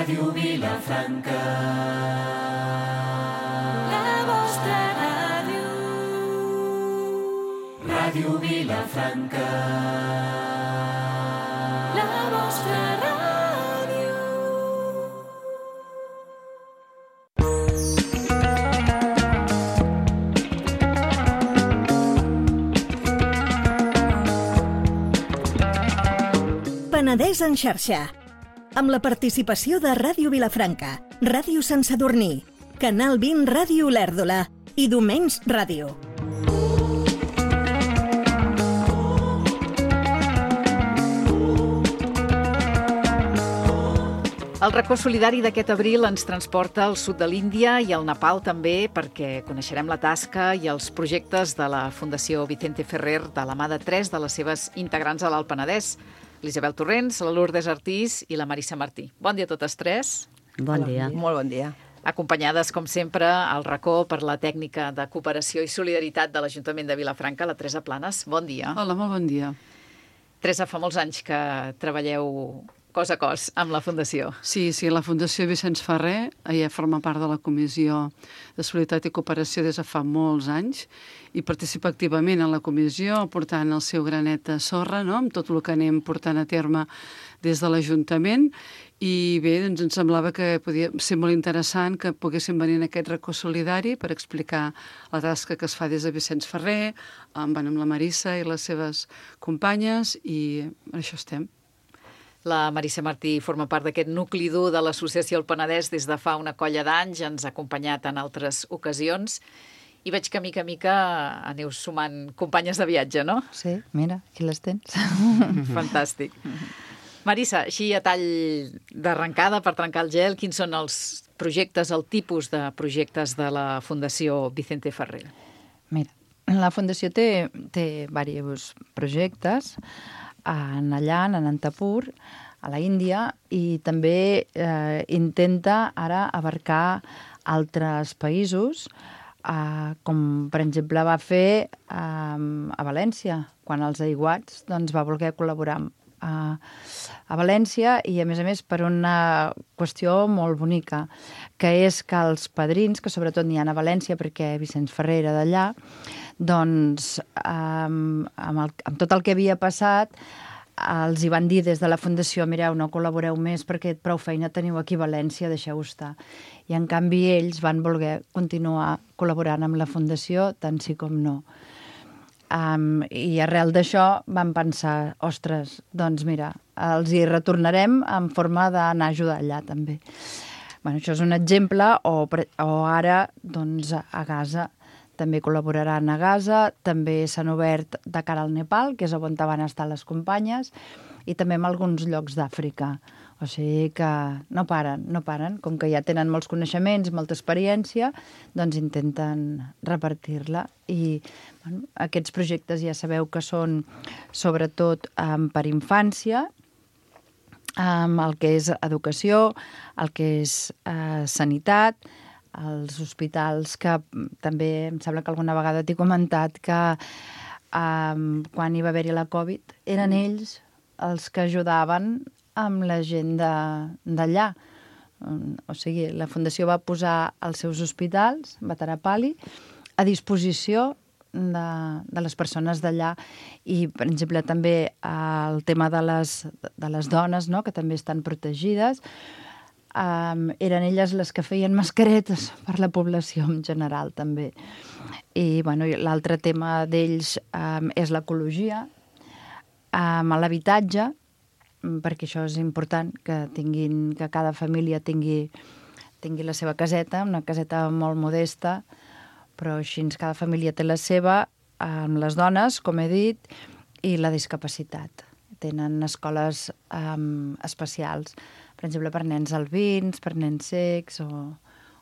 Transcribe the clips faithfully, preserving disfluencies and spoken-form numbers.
Ràdio Vilafranca, la vostra ràdio. Ràdio Vilafranca, la vostra ràdio. Penedès en xarxa, amb la participació de Ràdio Vilafranca, Ràdio Sant Sadurní, Canal vint Ràdio Olèrdola i Domens Ràdio. El racó solidari d'aquest abril ens transporta al sud de l'Índia i al Nepal també, perquè coneixerem la tasca i els projectes de la Fundació Vicente Ferrer de la mà de tres de les seves integrants a l'Alt Penedès, l'Isabel Torrents, la Lourdes Artís i la Marissa Martí. Bon dia a totes tres. Bon dia. Molt bon dia. Acompanyades, com sempre, al racó per la tècnica de cooperació i solidaritat de l'Ajuntament de Vilafranca, la Teresa Planes. Bon dia. Hola, molt bon dia. Teresa, fa molts anys que treballeu cos a cos amb la Fundació. Sí, sí, la Fundació Vicenç Ferrer, ella forma part de la Comissió de Solidaritat i Cooperació des de fa molts anys i participa activament en la comissió, portant el seu granet de sorra, no?, amb tot el que anem portant a terme des de l'Ajuntament. I bé, doncs ens semblava que podia ser molt interessant que poguéssim venir en aquest racó solidari per explicar la tasca que es fa des de Vicenç Ferrer, amb, amb la Marissa i les seves companyes, i per això estem. La Marissa Martí forma part d'aquest nucli dur de l'Associació El Penedès des de fa una colla d'anys, ens ha acompanyat en altres ocasions i veig que mica a mica aneu sumant companyes de viatge, no? Sí, mira, aquí les tens. Fantàstic. Marissa, així a tall d'arrencada, per trencar el gel, quins són els projectes, el tipus de projectes de la Fundació Vicente Ferrer? Mira, la Fundació té, té diversos projectes en Allan, en Antapur, a la Índia, i també eh, intenta ara abarcar altres països, eh, com per exemple va fer eh, a València, quan els aiguats doncs, va voler col·laborar a, a València, i a més a més per una qüestió molt bonica, que és que els padrins, que sobretot n'hi ha a València perquè Vicenç Ferrer era d'allà, doncs amb, amb, el, amb tot el que havia passat els hi van dir des de la Fundació: mireu, no col·laboreu més perquè prou feina teniu aquí a València, deixeu estar. I en canvi ells van voler continuar col·laborant amb la Fundació, tant sí com no. Um, I arrel d'això vam pensar, ostres, doncs mira, els hi retornarem en forma d'anar a ajudar allà també. Bueno, això és un exemple, o, o ara doncs, a Gaza també col·laboraran a Gaza, també s'han obert de cara al Nepal, que és on van estar les companyes, i també en alguns llocs d'Àfrica. O sigui que no paren, no paren. Com que ja tenen molts coneixements, molta experiència, doncs intenten repartir-la. I bueno, aquests projectes ja sabeu que són sobretot um, per infància, um, el que és educació, el que és uh, sanitat, als hospitals, que també em sembla que alguna vegada t'he comentat que um, quan hi va haver-hi la Covid eren ells els que ajudaven amb la gent d'allà. Um, o sigui, la Fundació va posar els seus hospitals, Vatarapali, a disposició de, de les persones d'allà, i, per exemple, també el tema de les, de les dones, no?, que també estan protegides. Um, eren elles les que feien mascaretes per la població en general també. I bueno, l'altre tema d'ells um, és l'ecologia, um, l'habitatge, perquè això és important, que tinguin, que cada família tingui, tingui la seva caseta, una caseta molt modesta, però així cada família té la seva, amb les dones, com he dit, i la discapacitat. Tenen escoles um, especials, per exemple, per nens albins, per nens cecs o,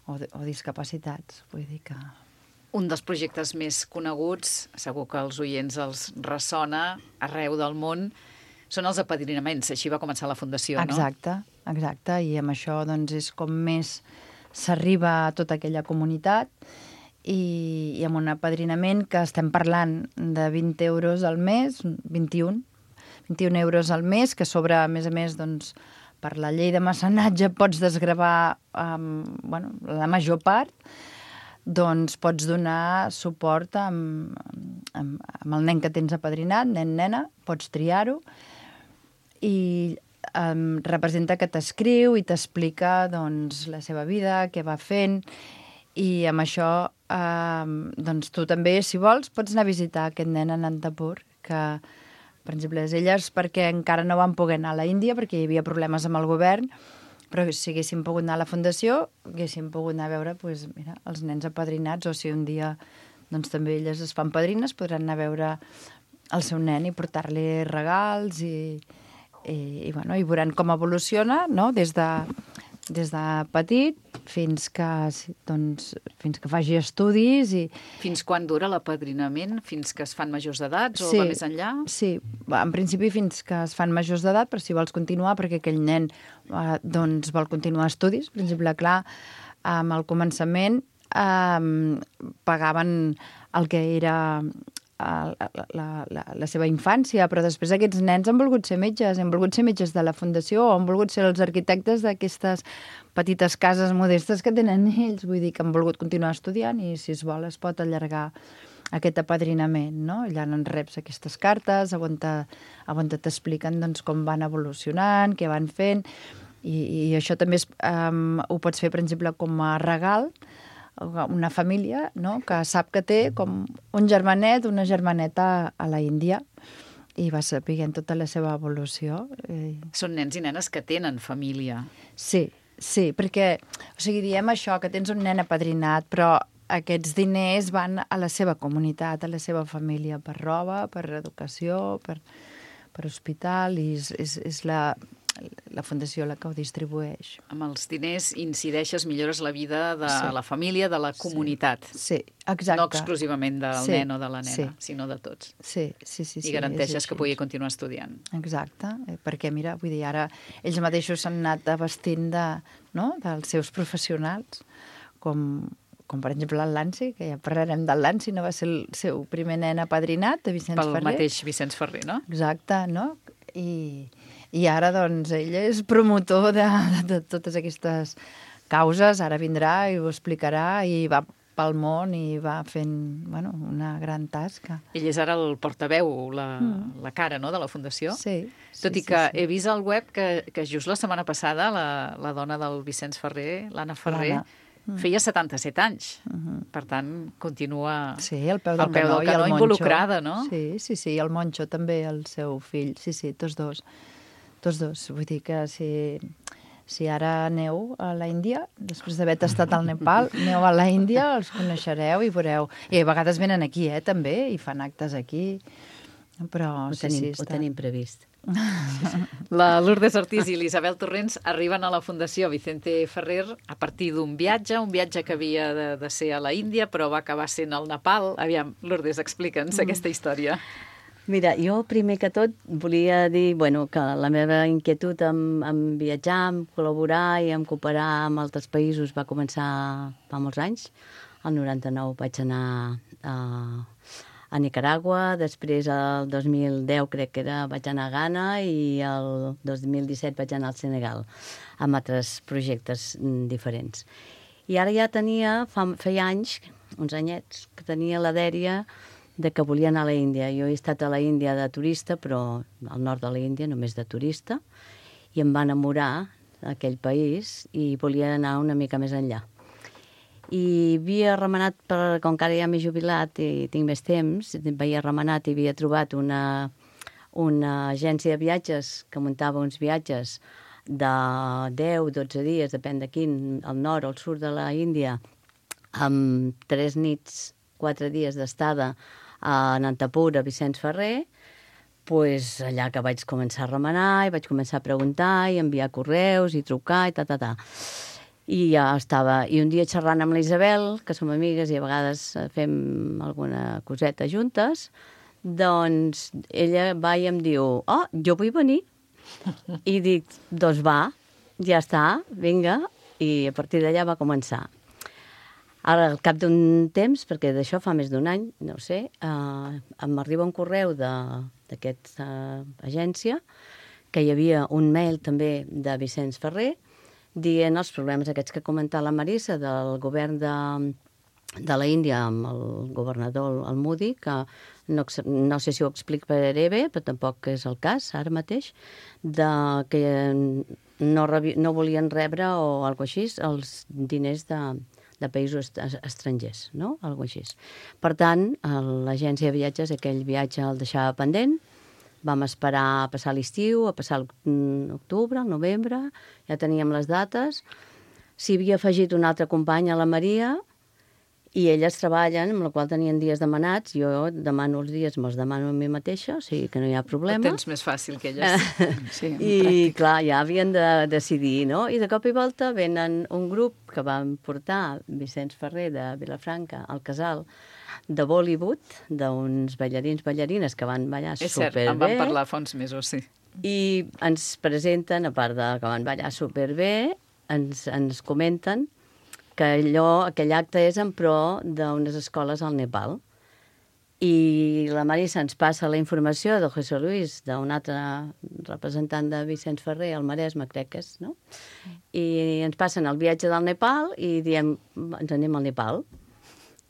o, o discapacitats. Vull dir que... Un dels projectes més coneguts, segur que als oients els ressona arreu del món, són els apadrinaments. Així va començar la Fundació, no? Exacte, exacte. I amb això doncs, és com més s'arriba a tota aquella comunitat, i, i amb un apadrinament que estem parlant de vint euros al mes, vint i un, vint i un euros al mes, que sobre, a més a més, doncs, per la llei de mecenatge pots desgravar um, bueno, la major part, doncs pots donar suport amb, amb, amb el nen que tens apadrinat, nen-nena, pots triar-ho, i um, representa que t'escriu i t'explica doncs, la seva vida, què va fent, i amb això um, doncs, tu també, si vols, pots anar a visitar aquest nen a Anantapur, que, per exemple, elles perquè encara no van poder anar a la Índia, perquè hi havia problemes amb el govern, però si haguéssim pogut anar a la fundació, haguéssim pogut anar a veure doncs, mira, els nens apadrinats, o si un dia doncs, també elles es fan padrines, podran anar a veure el seu nen i portar-li regals i, i, i, bueno, i veuran com evoluciona, no? des, de, des de petit fins que, doncs, fins que faci estudis. I... Fins quan dura l'apadrinament? Fins que es fan majors d'edats o sí, va més enllà? Sí, en principi fins que es fan majors d'edat, però si vols continuar, perquè aquell nen eh, doncs, vol continuar estudis. Per exemple, clar, um, al començament um, pagaven el que era la, la, la, la seva infància, però després aquests nens han volgut ser metges, han volgut ser metges de la fundació, o han volgut ser els arquitectes d'aquestes petites cases modestes que tenen ells, vull dir que han volgut continuar estudiant i si es vol es pot allargar aquest apadrinament, no? Allà en reps aquestes cartes on t'expliquen doncs, com van evolucionant, què van fent, i, i això també es, um, ho pots fer, per exemple, com a regal, una família, no?, que sap que té com un germanet, una germaneta a la Índia, i va sapiguent tota la seva evolució. Són nens i nenes que tenen família. Sí, sí, perquè, o sigui, diem això, que tens un nen apadrinat, però aquests diners van a la seva comunitat, a la seva família, per roba, per educació, per, per hospital, i és, és, és la... la fundació la que ho distribueix. Amb els diners incideixes, millores la vida de sí. la família, de la comunitat. Sí, exacte. No exclusivament del sí. nen o de la nena, sí. sinó de tots. Sí, sí, sí. I sí, garanteixes que pugui continuar estudiant. Exacte, perquè mira, vull dir, ara ells mateixos s'han anat abastint de, no?, dels seus professionals, com, com per exemple el Lanci, que ja parlarem del Lanci, no va ser el seu primer nen apadrinat, de Vicenç Pel Ferrer. Pel mateix Vicenç Ferrer, no? Exacte, no? I... I ara, doncs, ell és promotor de, de, de totes aquestes causes. Ara vindrà i ho explicarà i va pel món i va fent, bueno, una gran tasca. Ell és ara el portaveu, la, mm. la cara, no?, de la Fundació. Sí. Tot sí, i que sí, sí. he vist al web que, que just la setmana passada la, la dona del Vicenç Ferrer, l'Anna Ferrer, mm. feia setanta-set anys. Mm-hmm. Per tant, continua sí, al peu del, al peu canó, del canó i el involucrada, no? Sí, sí, sí, i el Moncho també, el seu fill. Sí, sí, tots dos. Tots dos. Vull dir que si, si ara aneu a la Índia, després d'haver tastat al Nepal, aneu a la Índia, els coneixereu i veureu. I a vegades venen aquí, eh, també, i fan actes aquí. Però ho sí, tenim, sí, ho està... tenim previst. La Lourdes Ortiz i l'Isabel Torrents arriben a la Fundació Vicente Ferrer a partir d'un viatge, un viatge que havia de, de ser a la Índia, però va acabar sent al Nepal. Aviam, Lourdes, explica'ns mm. aquesta història. Mira, jo primer que tot volia dir bueno, que la meva inquietud en, en viatjar, en col·laborar i en cooperar amb altres països va començar fa molts anys. El noranta-nou vaig anar a, a Nicaragua, després el dos mil deu crec que era, vaig anar a Ghana i el dos mil disset vaig anar al Senegal amb altres projectes diferents. I ara ja tenia, fa, feia anys, uns anyets, que tenia la dèria de que volia anar a la Índia. Jo he estat a la Índia de turista, però al nord de la Índia només de turista, i em va enamorar aquell país i volia anar una mica més enllà. I havia remenat, per, com que ara ja m'he jubilat i tinc més temps, havia remenat i havia trobat una, una agència de viatges que muntava uns viatges de deu, dotze dies, depèn de quin, al nord o al sud de la Índia, amb tres nits, quatre dies d'estada a Anantapur, a Vicenç Ferrer, pues allà que vaig començar a remenar i vaig començar a preguntar i enviar correus i trucar i ta, ta, ta. I ja estava... I un dia xerrant amb la Isabel, que som amigues i a vegades fem alguna coseta juntes, doncs ella va i em diu, oh, jo vull venir. I dic, doncs va, ja està, vinga. I a partir d'allà va començar. Ara, al cap d'un temps, perquè d'això fa més d'un any, no sé, eh, m'arriba un correu d'aquesta agència que hi havia un mail també de Vicenç Ferrer dient els problemes aquests que ha comentat la Marisa del govern de, de la Índia amb el governador, el Modi, que no, no sé si ho explicaré bé, però tampoc és el cas ara mateix, de que no, rebi, no volien rebre o alguna cosa així els diners de, de països estrangers, no? Algo així. Per tant, l'agència de viatges, aquell viatge el deixava pendent, vam esperar a passar l'estiu, a passar l'octubre, el novembre, ja teníem les dates. S'hi havia afegit un altre company, a la Maria, i elles treballen, amb la qual tenien dies demanats. Jo demano els dies, me'ls demano a mi mateixa, o sigui que no hi ha problema. Ho tens més fàcil que elles. Sí, I, pràctic. clar, ja havien de decidir, no? I de cop i volta venen un grup que van portar Vicenç Ferrer de Vilafranca al casal de Bollywood, d'uns ballarins, ballarines que van ballar És cert, superbé. en vam parlar fa uns mesos, sí. I ens presenten, a part de que van ballar superbé, ens, ens comenten que allò, aquell acte és en pro d'unes escoles al Nepal. I la Marisa ens passa la informació de José Luis, d'un altre representant de Vicenç Ferrer, al Maresme, crec que és, no? I ens passen el viatge del Nepal i diem, ens anem al Nepal.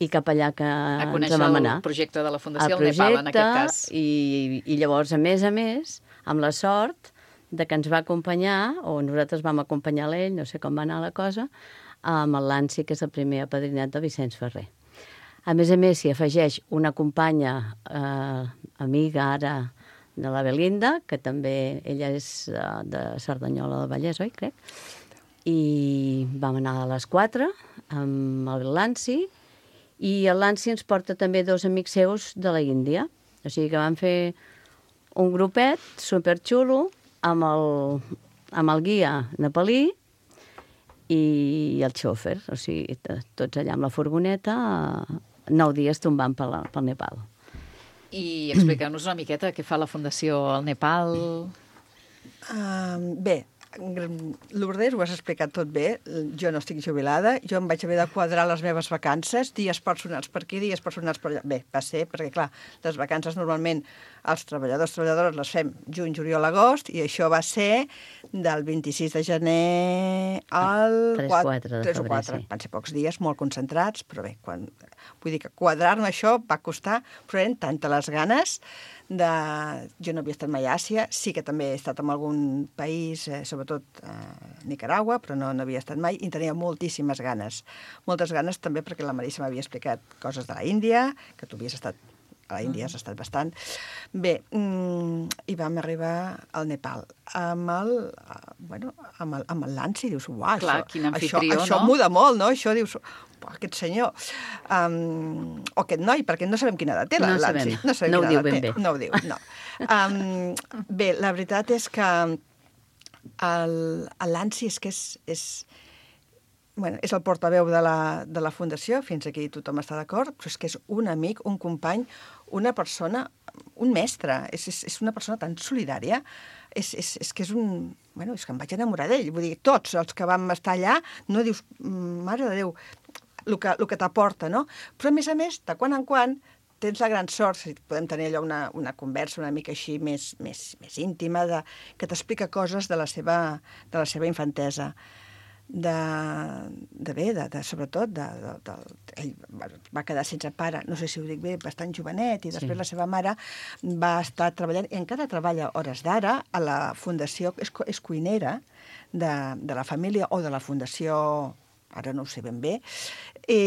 I cap allà que A ens conèixer vam el anar. projecte de la Fundació El al Nepal, en projecte, aquest cas. I, i llavors, a més a més, amb la sort de que ens va acompanyar, o nosaltres vam acompanyar l'ell, no sé com va anar la cosa, amb el Lanci, que és el primer apadrinat de Vicenç Ferrer. A més a més, s'hi afegeix una companya, eh, amiga ara, de la Belinda, que també ella és eh, de Cerdanyola del Vallès, oi, crec? I vam anar a les quatre amb el Lanci, i el Lanci ens porta també dos amics seus de la Índia. O sigui que vam fer un grupet superxulo amb el, amb el guia nepalí i el xòfer. O sigui, tots allà amb la furgoneta, nou dies tombant pel, pel Nepal. I expliqueu-nos una miqueta què fa la Fundació al Nepal. Uh, bé, Lourdes, ho has explicat tot bé. Jo no estic jubilada, jo em vaig haver de quadrar les meves vacances, dies personals per aquí, dies personals per allà. Bé, va ser, perquè clar, les vacances normalment els treballadors, treballadores les fem juny, juliol, agost, i això va ser del vint-i-sis de gener al tres, quatre, quatre de tres o febrer, quatre. sí. Van ser pocs dies, molt concentrats, però bé, quan, vull dir que quadrar-me això va costar, però eren tantes les ganes de... Jo no havia estat mai a Àsia, sí que també he estat en algun país, eh, sobretot a eh, Nicaragua, però no, no havia estat mai, i tenia moltíssimes ganes. Moltes ganes també perquè la Marisa m'havia explicat coses de la Índia, que tu havies estat a la Índia, has estat bastant. Bé, mm, i vam arribar al Nepal amb el, uh, bueno, amb el, amb el Lanci, dius, uah, Clar, això, quin això, amfitrió, això no? muda molt, no? Això dius, uah, aquest senyor, um, o aquest noi, perquè no sabem quina edat té la No Lanci. sabem. No, sabem No ho quina diu edat ben té. bé. No ho diu, no. Um, bé, la veritat és que el, el Lanci és que és... és Bueno, és el portaveu de la, de la Fundació, fins aquí tothom està d'acord, però és que és un amic, un company, una persona, un mestre, és, és, és una persona tan solidària, és, és, és que és un... Bueno, és que em vaig enamorar d'ell, vull dir, tots els que vam estar allà, no dius, mare de Déu, el que, el que t'aporta, no? Però, a més a més, de quan en quan, tens la gran sort, si podem tenir allò una, una conversa una mica així més, més, més íntima, de, que t'explica coses de la seva, de la seva infantesa. De, de bé, de, de, sobretot, de, de, de, ell va quedar sense pare, no sé si ho dic bé, bastant jovenet, i després Sí. la seva mare va estar treballant, i encara treballa hores d'ara a la fundació, és, és cuinera de, de la família o de la fundació, ara no ho sé ben bé, i,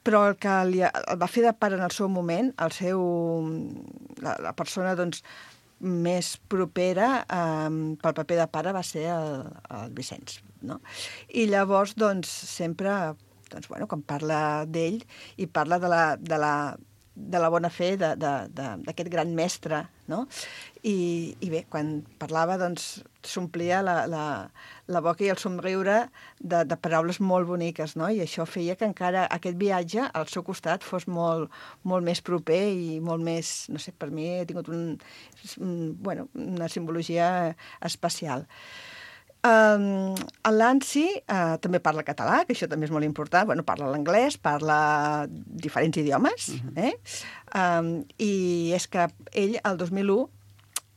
però el que li, el va fer de pare en el seu moment, el seu, la, la persona, doncs, més propera eh, pel paper de pare va ser el, el Vicenç, no? I llavors, doncs, sempre, doncs, bueno, quan parla d'ell i parla de la, de la, de la bona fe d'aquest gran mestre, no? I, i bé, quan parlava, doncs, s'omplia la, la, la boca i el somriure de, de paraules molt boniques, no? I això feia que encara aquest viatge al seu costat fos molt, molt més proper i molt més, no sé, per mi he tingut un, un, bueno, una simbologia especial. Um, el Lanci uh, també parla català, que això també és molt important. Bueno, parla l'anglès, parla diferents idiomes, uh-huh. eh? Um, i és que ell, el dos mil u,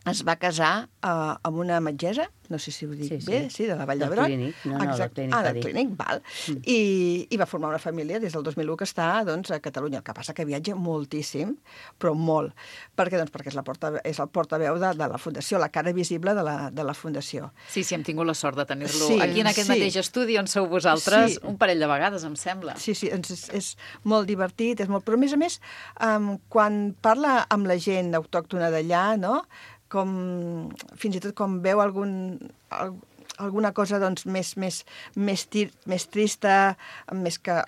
es va casar uh, amb una metgessa, no sé si ho dic Sí, sí. bé, sí, de la Vall Del d'Hebron. Clínic. No, no, del Exacte. Clínic, Ah, va del dir. Clínic, val. Mm. I, I va formar una família des del dos mil u que està doncs, a Catalunya. El que passa que viatja moltíssim, però molt. Per què? Doncs perquè és, la porta, és el portaveu de, de la Fundació, la cara visible de la, de la Fundació. Sí, sí, hem tingut la sort de tenir-lo Sí, aquí en aquest sí. mateix estudi on sou vosaltres Sí. un parell de vegades, em sembla. Sí, sí, ens és, és molt divertit, és molt... però a més a més, um, quan parla amb la gent autòctona d'allà, no?, com, fins i tot com veu algun, al, alguna cosa doncs, més, més, més, tir, més trista, més que...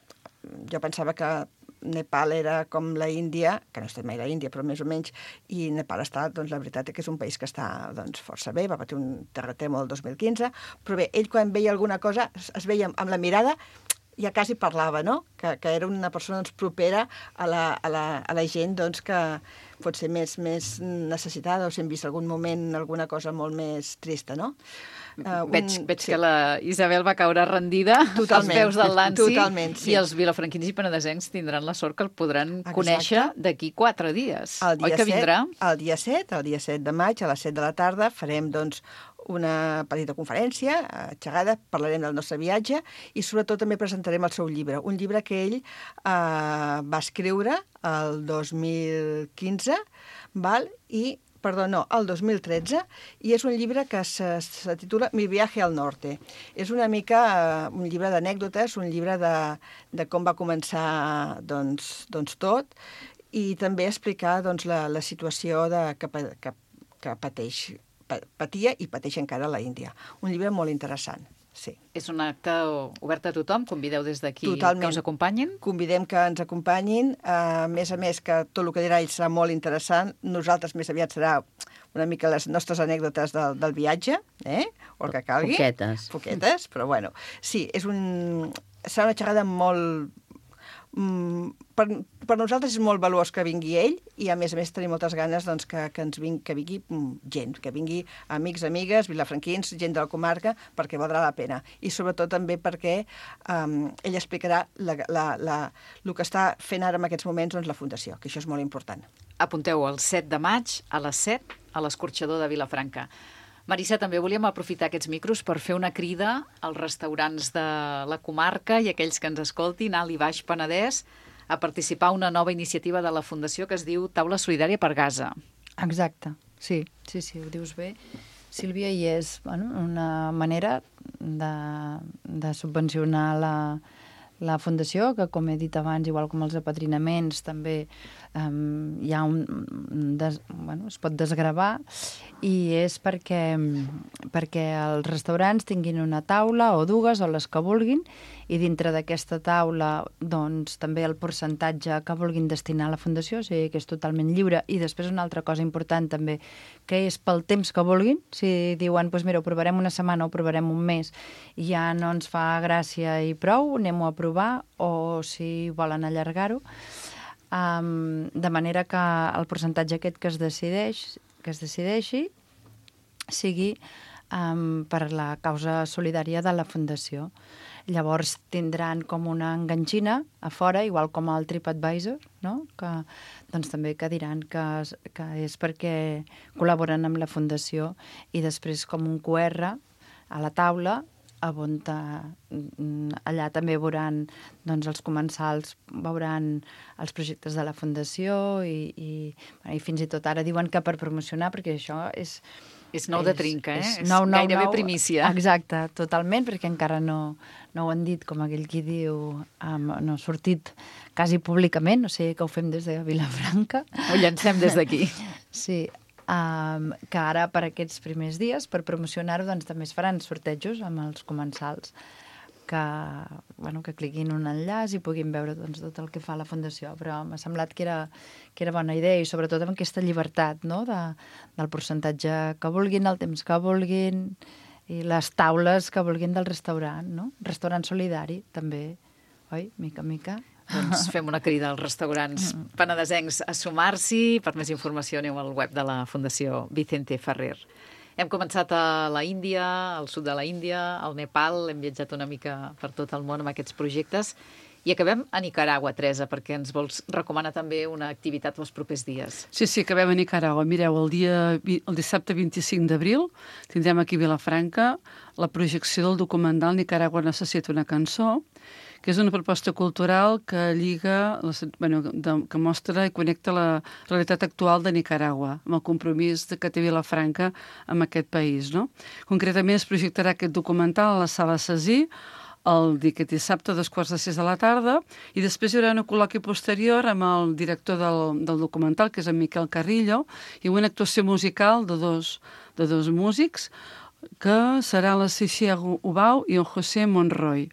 Jo pensava que Nepal era com la Índia, que no estem mai a la Índia, però més o menys, i Nepal està, doncs la veritat és que és un país que està doncs, força bé, va patir un terratrèmol el dos mil quinze, però bé, ell quan veia alguna cosa es, es veia amb la mirada, ja quasi parlava, no?, que, que era una persona doncs, propera a la, a la, a la gent doncs, que pot ser més, més necessitada o si hem vist algun moment alguna cosa molt més trista, no? Uh, Veig, veig sí. que la Isabel va caure rendida Totalment, als peus del Lanci totalment, sí. i els vilafranquins i penedesencs tindran la sort que el podran Exacte. conèixer d'aquí quatre dies. El dia Oi que vindrà? set, el dia set, el dia set de maig, a les set de la tarda, farem doncs, una petita conferència, eh, xerrada, parlarem del nostre viatge i sobretot també presentarem el seu llibre, un llibre que ell eh, va escriure el dos mil quinze, val? I perdó, no, el dos mil tretze, i és un llibre que se, se titula Mi viaje al norte. És una mica eh, un llibre d'anècdotes, un llibre de, de com va començar doncs, doncs tot, i també explicar doncs, la, la situació de, que, que, que pateix, patia i pateix encara a la Índia. Un llibre molt interessant, sí. És un acte obert a tothom? Convideu des d'aquí Totalment. que us acompanyin? Convidem que ens acompanyin. A més a més, que tot el que dirà ell serà molt interessant. Nosaltres més aviat serà una mica les nostres anècdotes del, del viatge, eh? O el que calgui. Poquetes. Poquetes, però bueno. Sí, és un... serà una xerrada molt... Per, per nosaltres és molt valuós que vingui ell i, a més a més, tenim moltes ganes doncs, que, que, ens vingui, que vingui gent, que vingui amics, amigues, vilafranquins, gent de la comarca, perquè valdrà la pena. I sobretot també perquè um, ell explicarà la, la, la, el que està fent ara en aquests moments doncs, la Fundació, que això és molt important. Apunteu el set de maig a les set a l'Escorxador de Vilafranca. Marissa, també volíem aprofitar aquests micros per fer una crida als restaurants de la comarca i aquells que ens escoltin, Alt i Baix Penedès, a participar en una nova iniciativa de la Fundació que es diu Taula Solidària per Gaza. Exacte, sí, sí, sí, ho dius bé. Sílvia, i és bueno, una manera de, de subvencionar la, la Fundació, que com he dit abans, igual com els apadrinaments, també um, hi ha un, des, bueno, es pot desgravar, i és perquè, perquè els restaurants tinguin una taula o dues o les que vulguin, i dintre d'aquesta taula doncs, també el percentatge que vulguin destinar a la Fundació, o sigui que és totalment lliure. I després una altra cosa important també, que és pel temps que vulguin. Si diuen, doncs mira, ho provarem una setmana o ho provarem un mes i ja no ens fa gràcia i prou, anem-ho a provar, o si volen allargar-ho. Um, de manera que el percentatge aquest que es decideix, que es decideixi sigui um, per la causa solidària de la Fundació. Llavors tindran com una enganxina a fora, igual com el TripAdvisor, no? Que doncs, també que diran que, que és perquè col·laboren amb la Fundació, i després com un Q R a la taula, on allà també veuran doncs, els comensals, veuran els projectes de la Fundació i, i, i fins i tot ara diuen que per promocionar, perquè això és... És nou de trinca, eh? És, és nou, nou, gairebé nou, primícia. Exacte, totalment, perquè encara no, no ho han dit, com aquell qui diu, um, no ha sortit quasi públicament, o sigui que ho fem des de Vilafranca. Ho llancem des d'aquí. Sí, um, que ara per aquests primers dies, per promocionar-ho, doncs també es faran sortejos amb els comensals, que, bueno, que cliquin un enllaç i puguin veure doncs, tot el que fa la Fundació. Però m'ha semblat que era, que era bona idea, i sobretot amb aquesta llibertat, no? de, del percentatge que vulguin, el temps que vulguin, i les taules que vulguin del restaurant, no? Restaurant solidari, també, oi? Mica en mica. Doncs fem una crida als restaurants penedesencs a sumar-s'hi. Per més informació aneu al web de la Fundació Vicente Ferrer. Hem començat a la Índia, al sud de la Índia, al Nepal, hem viatjat una mica per tot el món amb aquests projectes, I acabem a Nicaragua, Teresa, perquè ens vols recomanar també una activitat els propers dies. Sí, sí, acabem a Nicaragua. Mireu, el, dia, el dissabte vint-i-cinc d'abril tindrem aquí a Vilafranca la projecció del documental Nicaragua necessita una cançó, que és una proposta cultural que lliga, bueno, de, que mostra i connecta la realitat actual de Nicaragua amb el compromís de que té Vilafranca amb aquest país, no? Concretament es projectarà aquest documental a la Sala Cesí el aquest dissabte a dos quarts de sis de la tarda, i després hi haurà un col·loqui posterior amb el director del, del documental, que és en Miquel Carrillo, i una actuació musical de dos, de dos músics, que serà la Cixia Ubau i en José Monroy.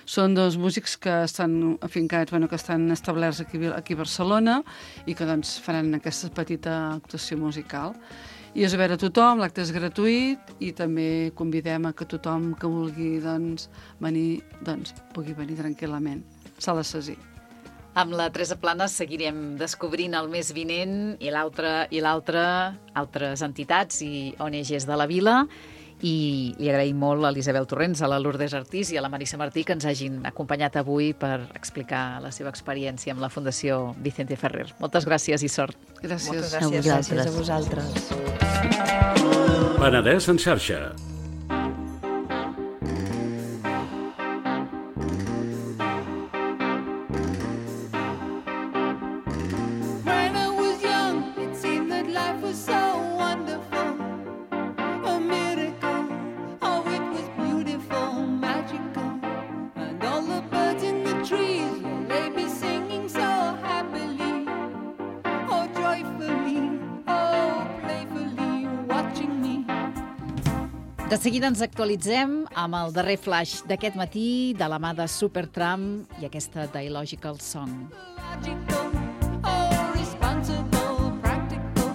Són dos músics que estan afincats, bueno, que estan establerts aquí, aquí a Barcelona i que doncs, faran aquesta petita actuació musical. I és obert a tothom, l'acte és gratuït i també convidem a que tothom que vulgui doncs, venir doncs, pugui venir tranquil·lament. Sala Cesí. Amb la Teresa Planes seguirem descobrint el mes vinent i l'altre i l'altre, altres entitats i O N Ges de la vila. I li agraïm molt a l'Isabel Torrents, a la Lourdes Artís i a la Marissa Martí que ens hagin acompanyat avui per explicar la seva experiència amb la Fundació Vicente Ferrer. Moltes gràcies i sort. Gràcies. Moltes A gràcies, vosaltres. gràcies a vosaltres. Penedès en xarxa. When I was young, it seemed that life was so wonderful. A miracle, oh, it was beautiful, magical. And all the birds in the trees, well, they be singing so happily. Oh, joyfully, oh, playfully, watching me. De seguida ens actualitzem amb el darrer flash d'aquest matí de la mà de Supertramp i aquesta Dialogical Song. Logical, oh, responsible, practical.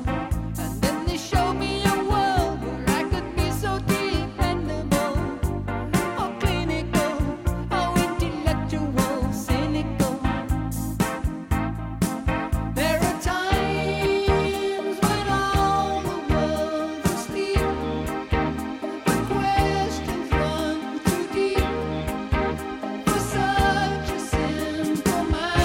And then they show me a world where I could be so dependable. Oh, clinical, oh, intellectual, cynical. There are times when all the world's asleep, but questions run too deep for such a simple mind.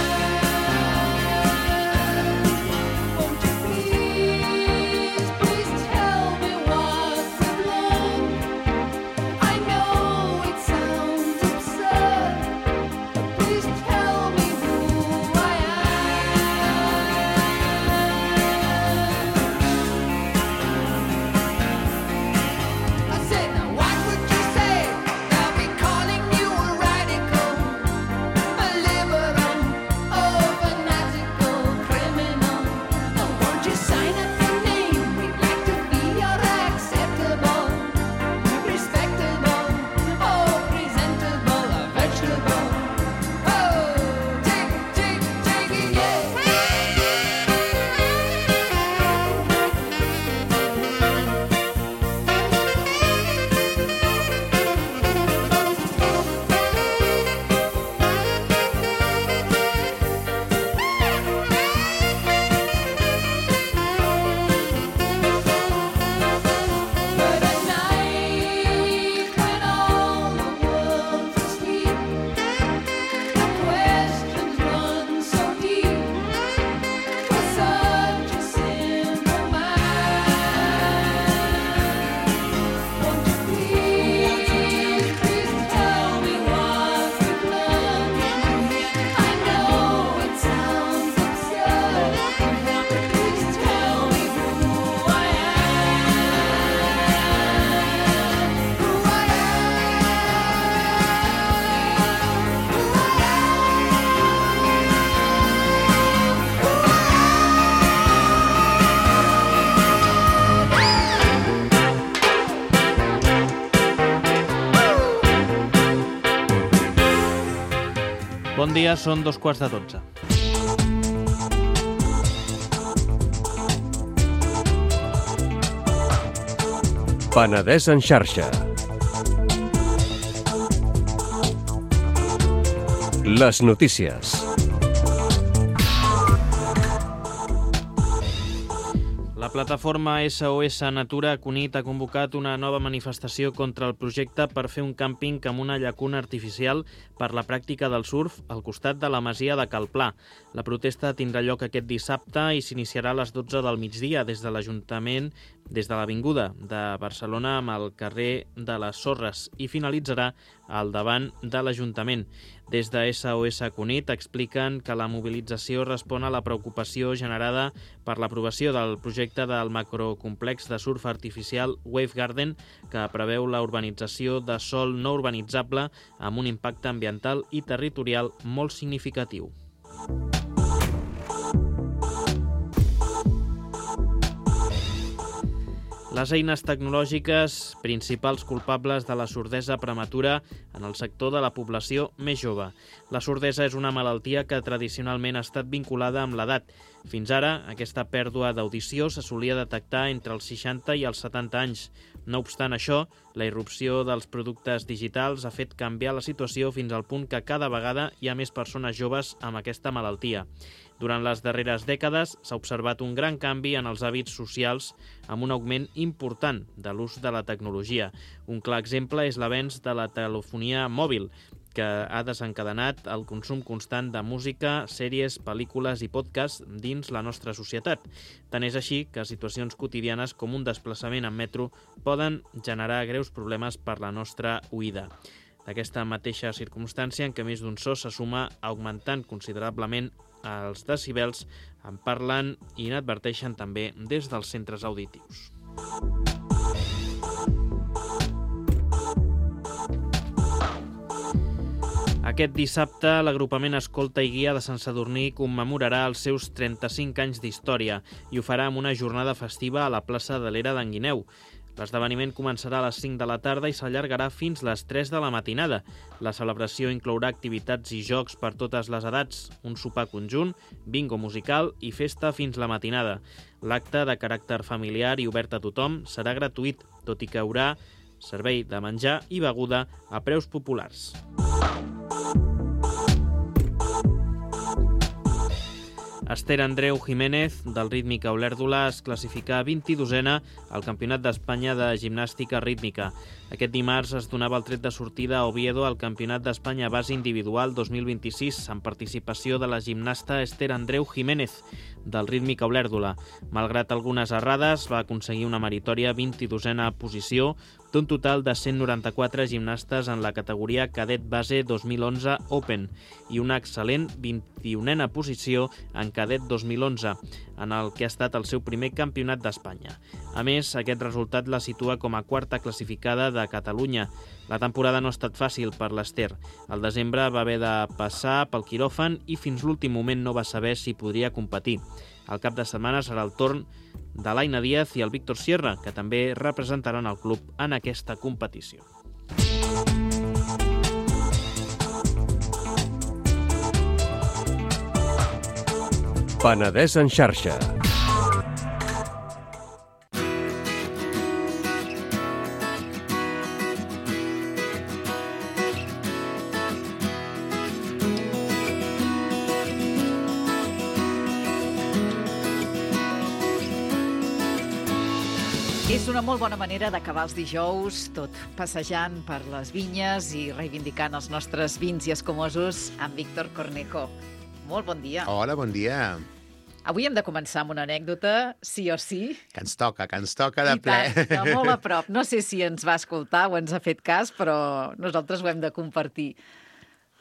Won't you please, please tell me what we've learned? I know it sounds absurd, but please tell me who I am. I said, now what would you say? They'll be calling you a radical, a liberal, oh, fanatical criminal. Oh, won't you sign up your name? We'd like to be your acceptable, respectable, oh, presentable, a vegetable. Oh, take, take, take it, yeah. But at night, when all the world's asleep, the questions run so deep for such a simple mind. Won't you please, please tell me what we've learned? I know it sounds absurd, but please tell me who I am. Who I Bon dia, són dos quarts de dotze. Penedès en xarxa. Les notícies. La plataforma S O S Natura Cunit ha convocat una nova manifestació contra el projecte per fer un càmping amb una llacuna artificial per la pràctica del surf al costat de la masia de Cal Pla. La protesta tindrà lloc aquest dissabte i s'iniciarà a les dotze del migdia des de l'Ajuntament, des de l'Avinguda de Barcelona amb el carrer de les Sorres i finalitzarà al davant de l'Ajuntament. Des de S O S Cunit expliquen que la mobilització respon a la preocupació generada per l'aprovació del projecte del macrocomplex de surf artificial Wave Garden, que preveu la urbanització de sòl no urbanitzable amb un impacte ambiental i territorial molt significatiu. Les eines tecnològiques, principals culpables de la sordesa prematura en el sector de la població més jove. La sordesa és una malaltia que tradicionalment ha estat vinculada amb l'edat. Fins ara, aquesta pèrdua d'audició se solia detectar entre els seixanta i els setanta anys. No obstant això, la irrupció dels productes digitals ha fet canviar la situació fins al punt que cada vegada hi ha més persones joves amb aquesta malaltia. Durant les darreres dècades s'ha observat un gran canvi en els hàbits socials amb un augment important de l'ús de la tecnologia. Un clar exemple és l'avenç de la telefonia mòbil, que ha desencadenat el consum constant de música, sèries, pel·lícules i podcasts dins la nostra societat. Tant és així que situacions quotidianes com un desplaçament en metro poden generar greus problemes per la nostra oïda. D'aquesta mateixa circumstància en què més d'un so se suma augmentant considerablement els decibels, en parlen i n'adverteixen també des dels centres auditius. Aquest dissabte, l'agrupament Escolta i Guia de Sant Sadurní commemorarà els seus trenta-cinc anys d'història i ho farà amb una jornada festiva a la plaça de l'Era d'en Guineu. L'esdeveniment començarà a les cinc de la tarda i s'allargarà fins les tres de la matinada. La celebració inclourà activitats i jocs per totes les edats, un sopar conjunt, bingo musical i festa fins la matinada. L'acte, de caràcter familiar i obert a tothom, serà gratuït, tot i que hi haurà servei de menjar i beguda a preus populars. Esther Andreu Jiménez, del Rítmica Olèrdola, es classificà vint-i-dosena al Campionat d'Espanya de Gimnàstica Rítmica. Aquest dimarts es donava el tret de sortida a Oviedo al Campionat d'Espanya Base Individual dos mil vint-i-sis, amb participació de la gimnasta Esther Andreu Jiménez, del Rítmica Olèrdola. Malgrat algunes errades, va aconseguir una meritòria vint-i-dosena posició d'un total de cent noranta-quatre gimnastes en la categoria Cadet Base dos mil onze Open i una excel·lent vint-i-unena posició en Cadet dos mil onze, en el que ha estat el seu primer campionat d'Espanya. A més, aquest resultat la situa com a quarta classificada de Catalunya. La temporada no ha estat fàcil per l'Esther. Al desembre va haver de passar pel quiròfan i fins l'últim moment no va saber si podria competir. El cap de setmana serà el torn de l'Aina Díaz i el Víctor Sierra, que també representaran el club en aquesta competició. Penedès en xarxa. És una molt bona manera d'acabar els dijous, tot passejant per les vinyes i reivindicant els nostres vins i escumosos amb Víctor Cornejo. Molt bon dia. Hola, bon dia. Avui hem de començar amb una anècdota, sí o sí. Que ens toca, que ens toca de I ple. tant, de molt a prop. No sé si ens va escoltar o ens ha fet cas, però nosaltres ho hem de compartir.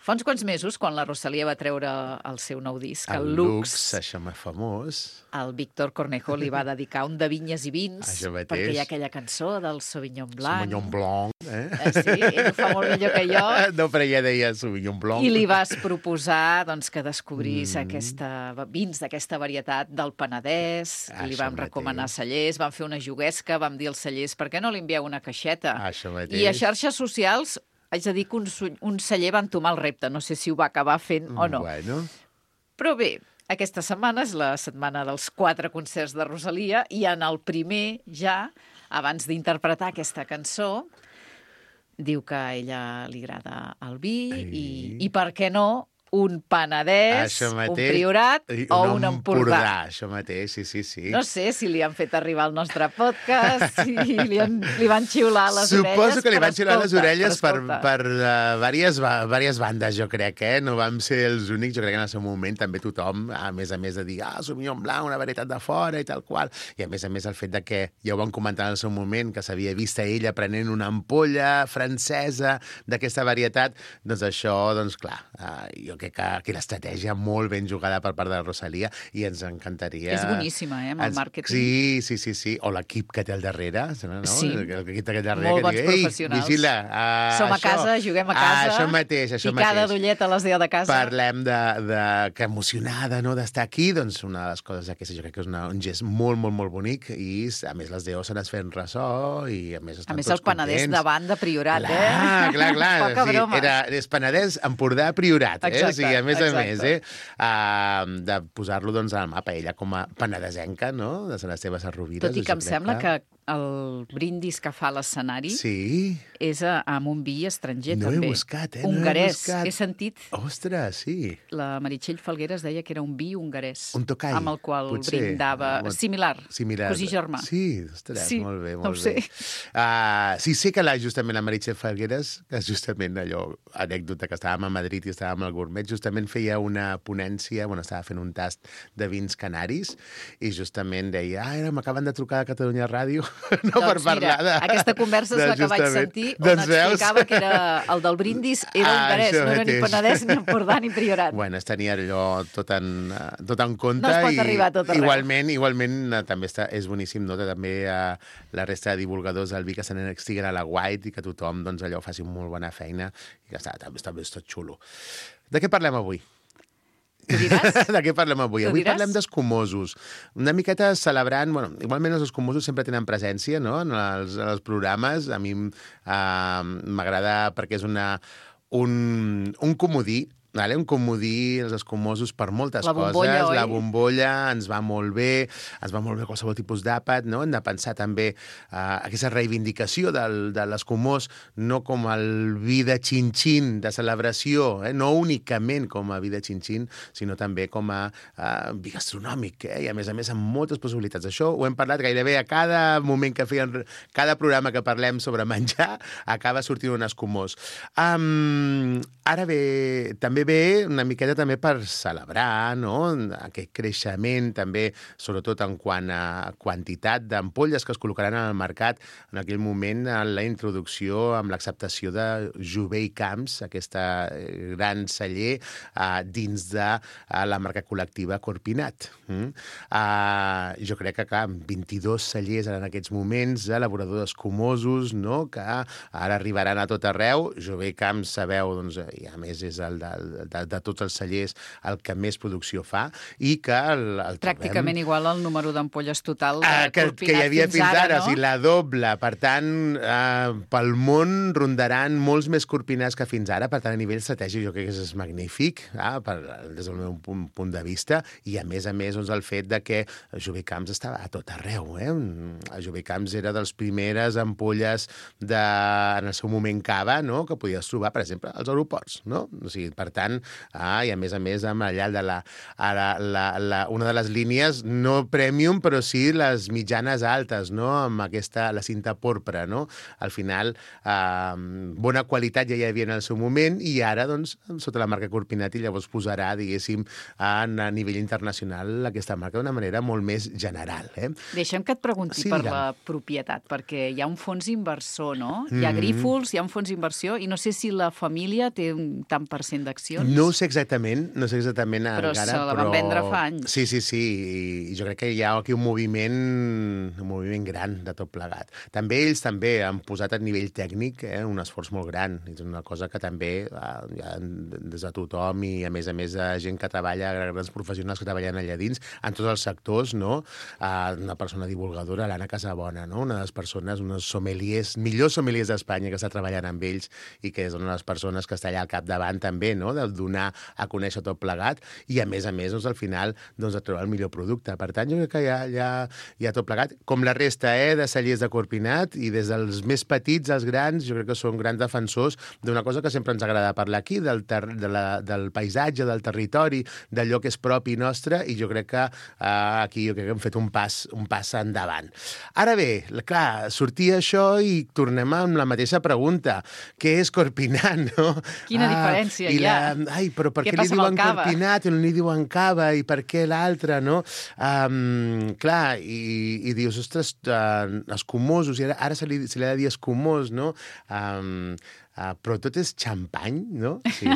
Fa uns quants mesos, quan la Rosalia va treure el seu nou disc, el, el Lux, Lux, això m'és famós. el Víctor Cornejo li va dedicar un de vinyes i vins, Això mateix. perquè hi ha aquella cançó del Sauvignon Blanc. Sauvignon Blanc, eh? Eh, sí, ell ho fa molt millor que jo. No, però ella deia Sauvignon Blanc. I li vas proposar doncs, que descobrís Mm. aquesta, vins d'aquesta varietat del Penedès. Això Li vam mateix. recomanar cellers, vam fer una juguesca, vam dir als cellers per què no li envieu una caixeta. Això mateix. I a xarxes socials haig de dir que un, su- un celler va entomar el repte. No sé si ho va acabar fent o no. Bueno, Però bé, aquesta setmana és la setmana dels quatre concerts de Rosalia i en el primer ja, abans d'interpretar aquesta cançó, diu que a ella li agrada el vi i, i per què no un Penedès, Això un mateix. Priorat I o un Empordà. Això mateix, sí, sí, sí. No sé si li han fet arribar al nostre podcast, si li, han, li van xiular les Suposo orelles. Suposo que li però van xiular les escolta, orelles per, però escolta. per uh, diverses, diverses bandes, jo crec, eh? No vam ser els únics, jo crec que en el seu moment també tothom, a més a més de dir, ah, Sauvignon Blanc, una varietat de fora i tal qual, i a més a més el fet de que, ja ho vam comentar en el seu moment, que s'havia vist a ella prenent una ampolla francesa d'aquesta varietat, doncs això, doncs clar, uh, jo crec que aquí l'estratègia molt ben jugada per part de la Rosalia i ens encantaria... És boníssima, eh, amb el ens... màrqueting. Sí, sí, sí, sí. O l'equip que té al darrere, no? Sí. L'equip que té al darrere, Molt que bons digui, ei, professionals. vigila, uh, Som a això, casa, juguem a casa. Ah, això mateix, això picada mateix. d'ullet a les deu de casa. Parlem de, de que emocionada, no?, d'estar aquí, doncs una de les coses aquestes jo crec que és una, un gest molt, molt, molt bonic i a més les deu se n'es fent ressò i a més estan A més, tots el Penedès contents. davant de Priorat, clar, eh? Clar, clar, Poca sí, broma. era, és Penedès, Empordà, Priorat, eh? Exacte, O sigui, a més exacte. a més, eh? Uh, de posar-lo doncs, al mapa, ella com a penedesenca, no?, de les seves arrovires. Tot i que jo em crec sembla que el brindis que fa a l'escenari Sí, és a, amb un vi estranger, no he també. buscat, eh? No he Hongarès. buscat. He sentit, ostres, sí. la Meritxell Falgueres deia que era un vi hongarès. Un tocall, amb el qual potser. brindava. Ah, Similar, Similar. cosí germà. Sí, ostres, Sí, molt bé, no molt ho bé. sé. Uh, sí, sé que la, justament la Meritxell Falgueres, que és justament allò, anècdota, que estàvem a Madrid i estàvem al Gourmet, justament feia una ponència, bueno, estava fent un tast de vins canaris i justament deia, ah, ara m'acaben de trucar de Catalunya Ràdio, no per Doncs parlar mira, de... aquesta conversa és de la que vaig justament- sentir, on Doncs veus? explicava que era el del brindis era Ah, hongarès, això no era ni mateix. Penedès, ni Empordà, ni Priorat. Bueno, es tenia allò tot en, eh, tot en compte. No es pot i arribar a tot arreu. Igualment, igualment eh, també està, és boníssim, no?, que també eh, la resta de divulgadors del vi que se n'estiguen a la White i que tothom doncs, allò faci molt bona feina i que està, també està, està tot xulo. De què parlem avui? Ho diràs? De què parlem avui? Ho Avui diràs? parlem d'escumosos. Una miqueta celebrant... Bueno, igualment els escumosos sempre tenen presència, no?, en els, en els programes. A mi eh, m'agrada perquè és una, un, un comodí, vale? Un comodí, els escumosos, per moltes La bombolla, coses. oi? La bombolla ens va molt bé, ens va molt bé qualsevol tipus d'àpat, no? Hem de pensar també uh, aquesta reivindicació del, de l'escumós, no com el vi de xin-xin de celebració, eh? No únicament com a vi de xin-xin, sinó també com a uh, vi gastronòmic, eh? I a més a més amb moltes possibilitats. Això ho hem parlat gairebé a cada moment que feien, cada programa que parlem sobre menjar, acaba sortint un escumós. Um, ara bé, també ve una miqueta també per celebrar, no?, aquest creixement també, sobretot en quant a quantitat d'ampolles que es col·locaran al mercat en aquell moment, en la introducció amb l'acceptació de Jover i Camps, aquesta gran celler uh, dins de uh, la marca col·lectiva Corpinat. Mm? Uh, jo crec que, clar, vint-i-dos cellers en aquests moments, elaboradors escumosos, no?, que ara arribaran a tot arreu. Jover i Camps, sabeu, doncs, i a més és el del De, de tots els cellers el que més producció fa i que el, el Pràcticament trobem... igual al número d'ampolles total de Ah, que, Corpinat que hi havia fins, ara, ara, no? o sigui, la doble. Per tant, eh, pel món rondaran molts més corpinats que fins ara. Per tant, a nivell estratègic jo crec que és magnífic, eh, per, des del meu punt, punt de vista. I a més a més, doncs, el fet de que Jover Camps estava a tot arreu. Eh? Jover Camps era dels primeres ampolles de, en el seu moment cava, no?, que podies trobar, per exemple, als aeroports. No? O sigui, per tant, ah, i a més a més amb allà de la, la, la, la, una de les línies no premium, però sí les mitjanes altes, no?, amb aquesta, la cinta porpra, no? Al final, eh, bona qualitat ja hi havia en el seu moment i ara, doncs, sota la marca Corpinat i llavors posarà, diguéssim, a, a nivell internacional aquesta marca d'una manera molt més general. Eh? Deixa'm que et pregunti Sí, per digue'm. la propietat, perquè hi ha un fons inversor, no? Hi ha Mhm. Grífols, hi ha un fons inversió, i no sé si la família té un tant per cent d'accions. No ho sé exactament, no sé exactament Però encara, se la van vendre fa anys. Sí, sí, sí, i jo crec que hi ha aquí un moviment, un moviment gran de tot plegat. També ells també han posat a nivell tècnic eh, un esforç molt gran, és una cosa que també eh, hi ha des de tothom i a més a més de gent que treballa, grans professionals que treballen allà dins, en tots els sectors, no? Uh, una persona divulgadora, l'Anna Casabona, no? Una de les persones, unes sommeliers, millors sommeliers d'Espanya que està treballant amb ells i que és una de les persones que està allà al capdavant també, no?, de de donar a conèixer tot plegat i, a més a més, doncs, al final, doncs, a trobar el millor producte. Per tant, jo crec que hi ha, hi ha, hi ha tot plegat. Com la resta eh, de cellers de Corpinat, i des dels més petits als grans, jo crec que són grans defensors d'una cosa que sempre ens agrada parlar aquí, del, ter de la, del paisatge, del territori, d'allò que és propi nostre, i jo crec que eh, aquí jo crec que hem fet un pas, un pas endavant. Ara bé, clar, sortia això i tornem amb la mateixa pregunta. Què és Corpinat, no? Quina ah, diferència hi ha? La... Ai, però per què, què li diuen Corpinat i no li diuen cava, i per què l'altre, no? Um, clar, i, i dius, ostres, uh, escumosos, i ara, ara se li, se li ha de dir escumós, no? Um, Uh, però tot és xampany, no? Sí,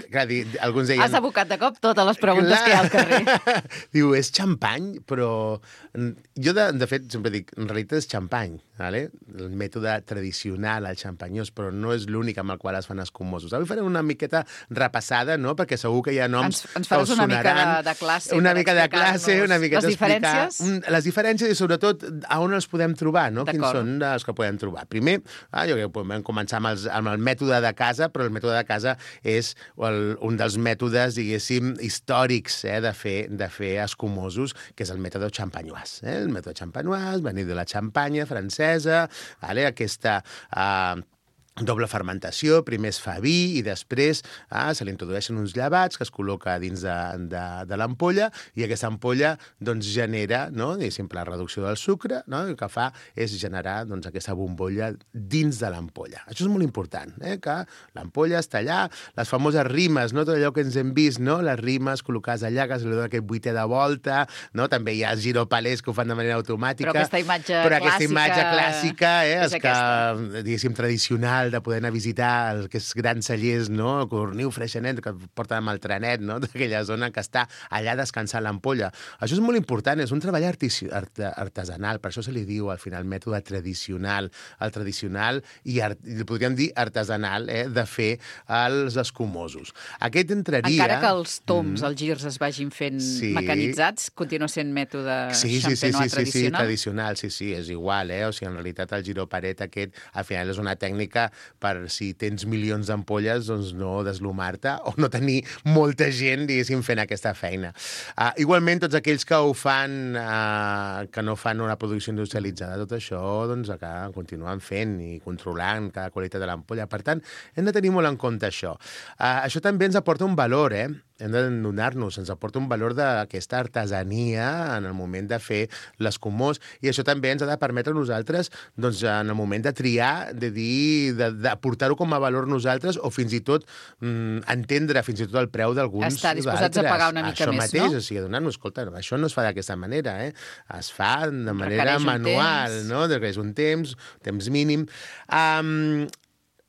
clar, di, alguns deien... Has abocat de cop totes les preguntes clar. Que hi ha al carrer. Diu, és xampany, però... Jo, de, de fet, sempre dic, en realitat és xampany, ¿vale? El mètode tradicional, el xampanyós, però no és l'únic amb el qual es fan escumosos. Avui farem una miqueta repassada, no? Perquè segur que hi ha noms ens, ens faràs una mica de, de classe. Una mica de classe, una mica les diferències? Un, les diferències i, sobretot, a on els podem trobar, no? Quins són els que podem trobar. Primer, ah, jo crec que podem començar amb, els, amb el mètode de casa, però el mètode de casa és el, un dels mètodes, diguéssim, històrics eh, de, fer, de fer escumosos, que és el mètode xampanyós. Eh? El mètode xampanyós, venir de la Xampanya francesa, vale? Aquesta... Eh, doble fermentació, primer es fa vi i després ah, se li introdueixen uns llevats que es col·loca dins de, de, de l'ampolla, i aquesta ampolla doncs, genera, no, sempre la reducció del sucre, no, i el que fa és generar doncs, aquesta bombolla dins de l'ampolla. Això és molt important, eh, que l'ampolla està allà, les famoses rimes, no, tot allò que ens hem vist, no, les rimes col·locades allà, que se li dona aquest vuitè de volta, no, també hi ha els giropalers que ho fan de manera automàtica. Però aquesta imatge però clàssica... aquesta imatge clàssica, eh, és és que, diguéssim, tradicional, de poder anar a visitar aquests grans cellers, no? Corniu, Freixenet, que porten amb el trenet, no? D'aquella zona que està allà descansant l'ampolla. Això és molt important, és un treball art artesanal, per això se li diu al final mètode tradicional, el tradicional i, art i podríem dir artesanal, eh? De fer els escumosos. Aquest entraria... Encara que els toms, mm. els girs es vagin fent sí. mecanitzats, continua sent mètode sí, sí, sí, sí, xampenois sí, tradicional? Sí, sí, tradicional, sí, sí, és igual, eh? O sigui, en realitat el giroparet aquest, al final és una tècnica per si tens milions d'ampolles, doncs no deslumar-te o no tenir molta gent, diguéssim, fent aquesta feina. Uh, igualment, tots aquells que ho fan, uh, que no fan una producció industrialitzada, tot això, doncs, acá continuen fent i controlant cada qualitat de l'ampolla. Per tant, hem de tenir molt en compte això. Uh, això també ens aporta un valor, eh? Hem de donar-nos, ens aporta un valor d'aquesta artesania en el moment de fer l'escumós, i això també ens ha de permetre a nosaltres, doncs, en el moment de triar, de dir, de, de portar-ho com a valor nosaltres, o fins i tot mm, entendre fins i tot el preu d'alguns Estar disposats a pagar una mica això més, mateix, no? O sigui, donar-nos, escolta, això no es fa d'aquesta manera, eh? Es fa de manera manual, no? És un temps, temps mínim. Um,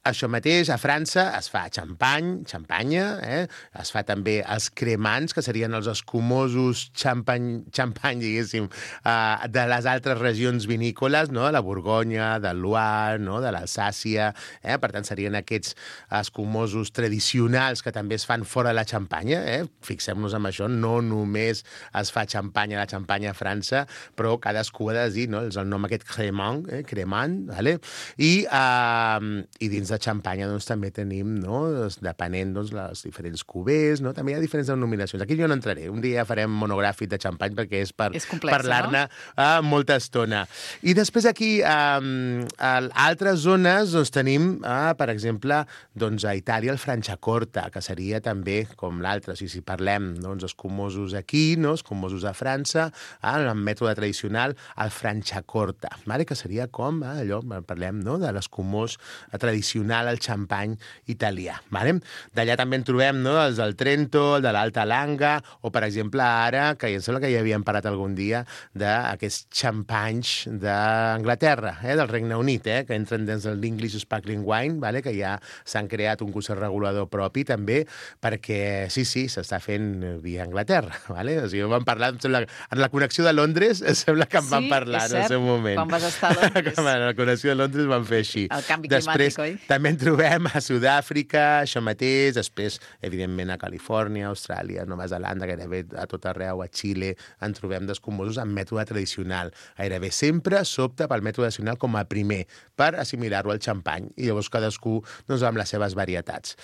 Això mateix, a França es fa xampany, xampanya, eh? Es fa també els cremants, que serien els escumosos xampany, xampany diguéssim, eh, de les altres regions vinícoles, no? De la Borgonya, del Loire, no? De l'Alsàcia, eh? Per tant, serien aquests escumosos tradicionals que també es fan fora de la Xampanya, eh? Fixem-nos en això, no només es fa xampanya a la Xampanya a França, però cadascú ha de dir, no? És el nom aquest cremant, eh? cremant, vale? I, eh, i dins de Xampanya doncs, també tenim, no? Depenent doncs, les diferents cubers, no? També hi ha diferents denominacions. Aquí jo no entraré. Un dia farem monogràfic de xampany perquè és per parlar-ne no? molta estona. I després aquí, um, a altres zones, doncs, tenim, uh, per exemple, doncs, a Itàlia el Franciacorta, que seria també com l'altre. O sigui, si parlem doncs, escumosos aquí, no? Escumosos a França, uh, en el mètode tradicional, el Franciacorta, vale? Que seria com uh, allò, parlem no? De l'escumós tradicional, el xampany italià. Vale? D'allà també en trobem no? Els del Trento, el de l'Alta Langa, o, per exemple, ara, que em sembla que ja havíem parlat algun dia d'aquests xampanys d'Anglaterra, eh? Del Regne Unit, eh? Que entren dins de l'English Sparkling Wine, vale? Que ja s'han creat un consell regulador propi, també, perquè, sí, sí, s'està fent via Anglaterra. Vale? O sigui, vam parlar, em sembla, en la connexió de Londres, em sembla que en sí, vam parlar en el seu moment. Quan vas estar a Londres. En la connexió de Londres vam fer així. El canvi Després, climàtic, oi? També en trobem a Sud-àfrica, això mateix, després, evidentment, a Califòrnia, Austràlia, Nova Zelanda, gairebé a tot arreu, a Xile, en trobem d'escumosos amb mètode tradicional. Gairebé sempre s'opta pel mètode tradicional com a primer, per assimilar-ho al xampany, i llavors cadascú doncs, amb les seves varietats.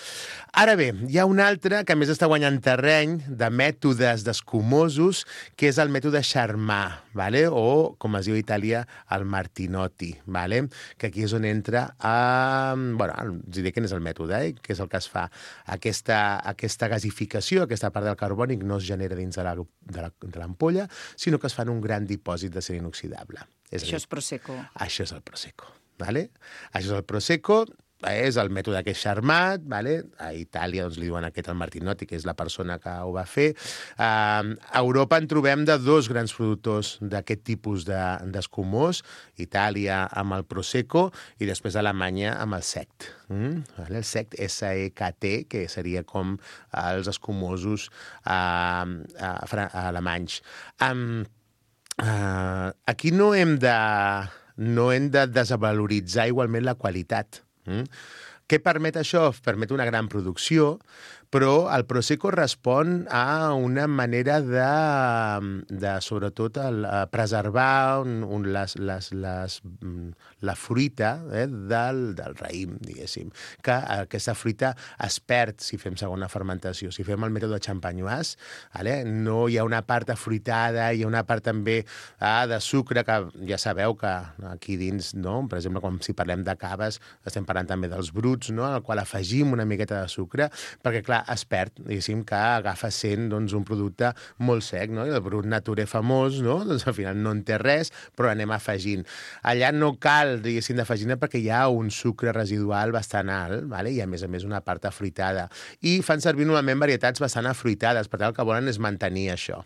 Ara bé, hi ha un altre que a més està guanyant terreny de mètodes d'escumosos, que és el mètode Charmat, vale? O, com es diu a Itàlia, el Martinotti, vale? Que aquí és on entra a... Bueno, us diré quin és el mètode, eh? Que és el que es fa. Aquesta, aquesta gasificació, aquesta part del carbònic, no es genera dins de l'ampolla, sinó que es fa en un gran dipòsit d'acer inoxidable. És Això és Prosecco. Això és el Prosecco, vale? Això és el Prosecco, és el mètode que és Charmat, vale? A Itàlia doncs, li diuen aquest el Martinotti, que és la persona que ho va fer. Uh, a Europa en trobem de dos grans productors d'aquest tipus d'escumós, de, Itàlia amb el Prosecco i després Alemanya amb el Sekt. Mm? Vale? El Sekt, S E K T, que seria com els escumosos uh, uh, alemanys. Um, uh, aquí no hem de, no hem de desvaloritzar igualment la qualitat. Mm? Què permet això? Permet una gran producció, però el Prosecco respon a una manera de, de sobretot, el, a preservar un, un, les, les, les, la fruita eh, del, del raïm, diguéssim. Que aquesta fruita es perd si fem segona fermentació. Si fem el mètode champenoise, vale? No hi ha una part afruitada, hi ha una part també ah, de sucre, que ja sabeu que aquí dins, no? Per exemple, quan si parlem de caves, estem parlant també dels bruts, no? Al qual afegim una miqueta de sucre, perquè, clar, es perd, diguéssim, que agafa sent doncs, un producte molt sec, no? I el brut naturé famós, no? Doncs al final no en té res, però anem afegint. Allà no cal, diguéssim, d'afegir perquè hi ha un sucre residual bastant alt, vale? I a més a més una part afruitada. I fan servir normalment varietats bastant afruitades, per tant el que volen és mantenir això.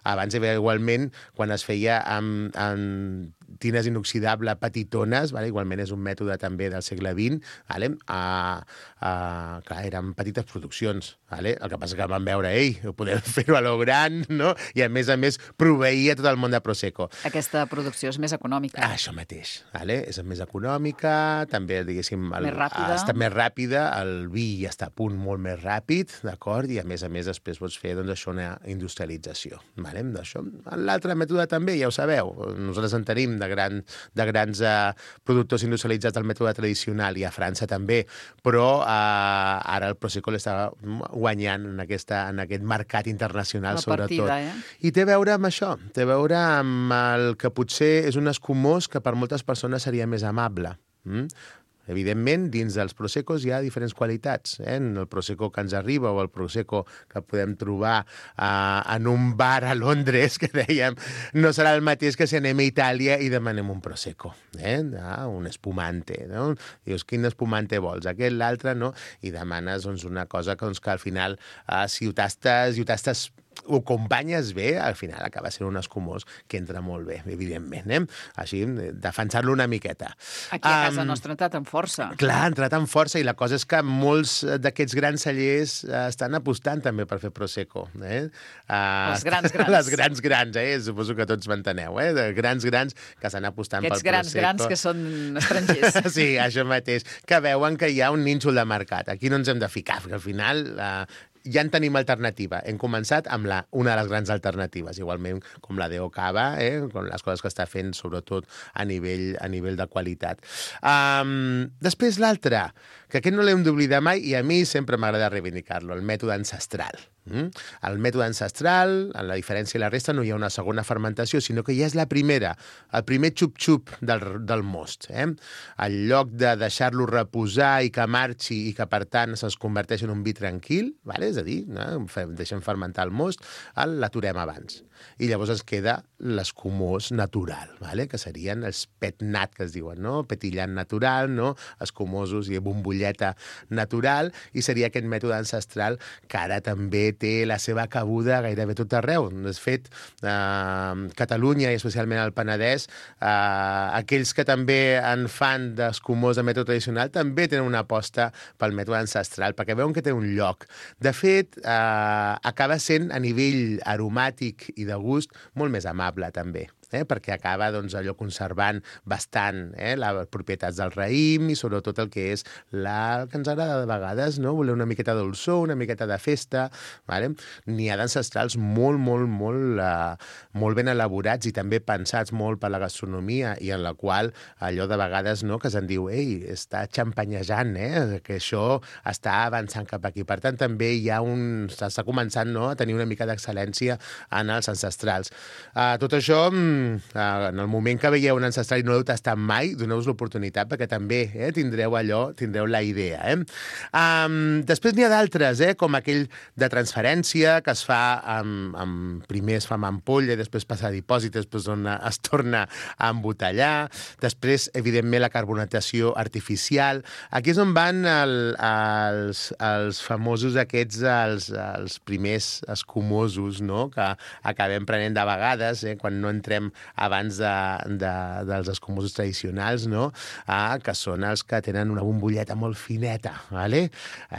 Abans hi havia igualment, quan es feia amb, amb tines inoxidable petitones, vale? Igualment és un mètode també del segle vint, vale? a, a, clar, eren petites produccions, vale? El que passa que van veure, ei, ho podem fer-ho a lo gran, no? I a més a més proveïa tot el món de Prosecco. Aquesta producció és més econòmica. Ah, això mateix, vale? És més econòmica, també, diguéssim, el, més ràpida. Està més ràpida, el vi ja està a punt molt més ràpid, d'acord? I a més a més després pots fer doncs, això una industrialització, vale? L'altre mètode també, ja ho sabeu, nosaltres en tenim de grans, de grans uh, productors industrialitzats del mètode tradicional i a França també, però uh, ara el Prosecco l'està guanyant en, aquesta, en aquest mercat internacional, la sobretot. Partida, eh? I té a veure amb això, té a veure amb el que potser és un escumós que per moltes persones seria més amable. Mm? Evidentment, dins dels Proseccos hi ha diferents qualitats. Eh? El Prosecco que ens arriba o el Prosecco que podem trobar eh, en un bar a Londres, que dèiem, no serà el mateix que si anem a Itàlia i demanem un Prosecco. Eh? Ah, un espumante. No? Dius, quin espumante vols? Aquest, l'altre, no? I demanes doncs, una cosa que, doncs, que al final, eh, si ho tastes, i ho tastes ho acompanyes bé, al final acaba sent un escumós que entra molt bé, evidentment. Eh? Així, defensar-lo una miqueta. Aquí a casa um, nostra ha entrat amb força. Clar, ha entrat amb força, i la cosa és que molts d'aquests grans cellers uh, estan apostant també per fer Prosecco. Eh? Uh, les grans grans. Les grans grans, eh? Suposo que tots m'enteneu, eh? De grans grans que estan apostant Aquests pel grans Prosecco. grans que són estrangers. Sí, això mateix, que veuen que hi ha un nínxol de mercat. Aquí no ens hem de ficar, perquè al final... Uh, ja en tenim alternativa. Hem començat amb la, una de les grans alternatives, igualment com la Deo Cava, eh? Com les coses que està fent, sobretot a nivell, a nivell de qualitat. Um, després l'altre, que aquest no l'hem d'oblidar mai, i a mi sempre m'agrada reivindicar-lo, el mètode ancestral. Mm? El mètode ancestral, en la diferència i la resta, no hi ha una segona fermentació, sinó que ja és la primera, el primer xup-xup del, del most. Eh? En lloc de deixar-lo reposar i que marxi i que, per tant, se'ns converteix en un vi tranquil, vale? És a dir, no? Deixem fermentar el most, l'aturem abans. I llavors ens queda l'escumós natural, vale? Que serien els petnat, que es diuen, no? Petillant natural, no? Escumosos i bombolleta natural, i seria aquest mètode ancestral que ara també té la seva cabuda gairebé tot arreu. De fet, eh, Catalunya i especialment el Penedès, eh, aquells que també en fan d'escumós de mètode tradicional també tenen una aposta pel mètode ancestral, perquè veuen que té un lloc. De fet, eh, acaba sent a nivell aromàtic i de gust molt més amable també. eh? Perquè acaba doncs, allò conservant bastant eh? les propietats del raïm i sobretot el que és la que ens agrada de vegades, no? Voler una miqueta de dolçor, una miqueta de festa. Vale? N'hi ha d'ancestrals molt, molt, molt, uh, molt ben elaborats i també pensats molt per la gastronomia i en la qual allò de vegades no, que se'n diu ei, està xampanyejant, eh? Que això està avançant cap aquí. Per tant, també hi ha un... s'està començant no, a tenir una mica d'excel·lència en els ancestrals. Uh, tot això, uh, en el moment que veieu un ancestral i no l'heu tastat mai, doneu-vos l'oportunitat perquè també eh, tindreu allò, tindreu la idea. Eh? Um, després n'hi ha d'altres, eh, com aquell de transferència que es fa amb, amb primer es fa amb ampolla i després passa a dipòsit, després dona, es torna a embotellar. Després, evidentment, la carbonatació artificial. Aquí és on van el, els, els famosos aquests, els, els primers escumosos, no? Que acabem prenent de vegades, eh, quan no entrem abans de, de, dels escumosos tradicionals, no? Ah, que són els que tenen una bombolleta molt fineta, ¿vale?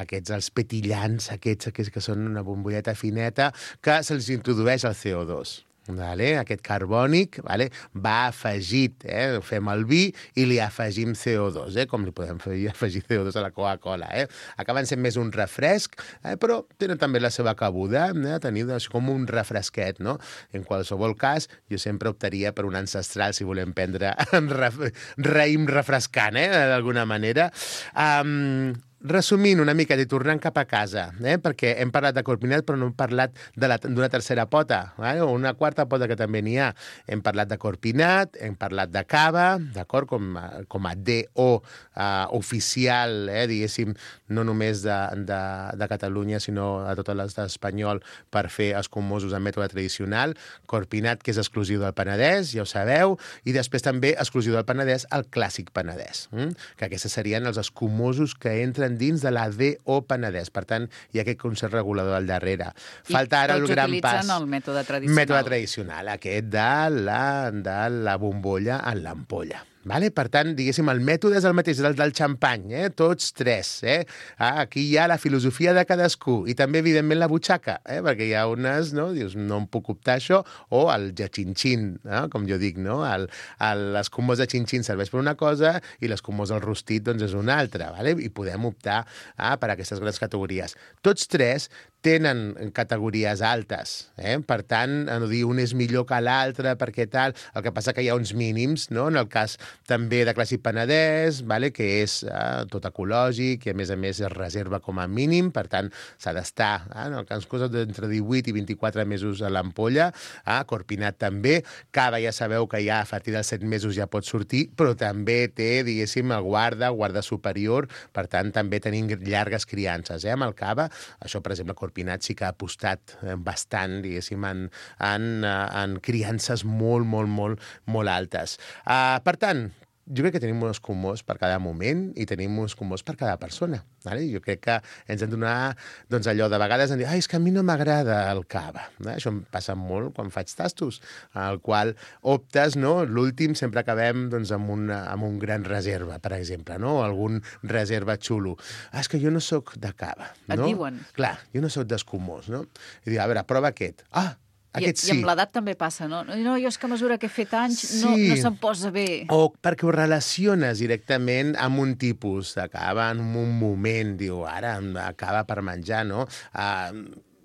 Aquests, els petillants, aquests, aquests que són una bombolleta fineta, que se'ls introdueix el C O dos. Vale? Aquest carbònic vale? Va afegit, eh? Fem el vi i li afegim C O dos, eh? Com li podem afegir C O dos a la Coca-Cola. Eh? Acaben sent més un refresc, eh? Però tenen també la seva cabuda, eh? Tenir com un refresquet. No? En qualsevol cas, jo sempre optaria per un ancestral si volem prendre raïm refrescant, eh? D'alguna manera. Um, Resumint una mica i tornant cap a casa, eh? Perquè hem parlat de corpinat però no hem parlat d'una tercera pota, eh? O una quarta pota que també n'hi ha. Hem parlat de corpinat, hem parlat de cava, d'acord, com, com a D O uh, oficial, eh? Diguéssim, no només de, de, de Catalunya, sinó a tot l'estat espanyol per fer escumosos en mètode tradicional. Corpinat, que és exclusiu del Penedès, ja ho sabeu, i després també exclusiu del Penedès, el clàssic Penedès, hm? Que aquests serien els escumosos que entren dins de la D O Penedès. Per tant, hi ha aquest concert regulador al darrere. Falta ara el gran pas. I tots utilitzen el mètode tradicional. Mètode tradicional, aquest de la, de la bombolla en l'ampolla. Vale? Per tant, diguéssim, el mètode és el mateix, el del xampany, eh? Tots tres. Eh? Ah, aquí hi ha la filosofia de cadascú i també, evidentment, la butxaca, eh? Perquè hi ha unes, no? Dius, no em puc optar això, o el de xinxin, eh? Com jo dic, no? El, el, l'escumós de xinxin serveix per una cosa i l'escumós del rostit doncs, és una altra, vale? I podem optar ah, per aquestes grans categories. Tots tres tenen categories altes, eh? Per tant, no dir un és millor que l'altre perquè tal, el que passa que hi ha uns mínims, no? En el cas també de clàssic Penedès, vale? Que és eh, tot ecològic i a més a més es reserva com a mínim, per tant s'ha d'estar, eh? En el cas d'entre divuit i vint-i-quatre mesos a l'ampolla, eh? Corpinat també, cava ja sabeu que ja a partir dels set mesos ja pot sortir, però també té, diguéssim, el guarda, guarda superior, per tant també tenim llargues criances, eh? Amb el cava, això per exemple Corpinat sí que ha apostat bastant, diguéssim, en, en, en criances molt, molt, molt, molt altes. Uh, per tant, jo crec que tenim uns escumós per cada moment i tenim uns escumós per cada persona. Vale? Jo crec que ens hem de donar doncs, allò de vegades en dir, ai, és que a mi no m'agrada el cava. Eh? Això em passa molt quan faig tastos, al qual optes, no? L'últim sempre acabem doncs, amb, una, amb un gran reserva, per exemple, no? Algun reserva xulo. Ah, és que jo no sóc de cava. No? Et diuen. Clar, jo no sóc d'escumós, no? I dic, a veure, prova aquest. Ah, aquest sí. I amb l'edat també passa, no? No, jo és que a mesura que he fet anys sí. no, no se'm posa bé. O perquè ho relaciones directament amb un tipus de cava en un moment, diu, ara acaba per menjar, no? Uh,